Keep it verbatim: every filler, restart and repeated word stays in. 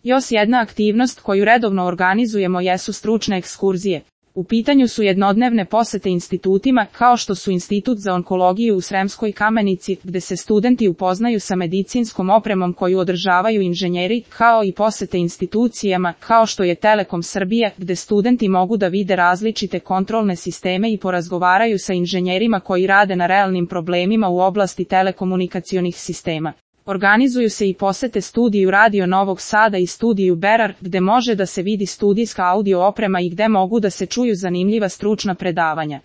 Još jedna aktivnost koju redovno organizujemo jesu stručne ekskurzije. U pitanju su jednodnevne posete institutima, kao što su Institut za onkologiju u Sremskoj Kamenici, gde se studenti upoznaju sa medicinskom opremom koju održavaju inženjeri, kao i posete institucijama, kao što je Telekom Srbije, gde studenti mogu da vide različite kontrolne sisteme i porazgovaraju sa inženjerima koji rade na realnim problemima u oblasti telekomunikacionih sistema. Organizuju se i posete studiju Radio Novog Sada i studiju Berar, gde može da se vidi studijska audio oprema i gde mogu da se čuju zanimljiva stručna predavanja.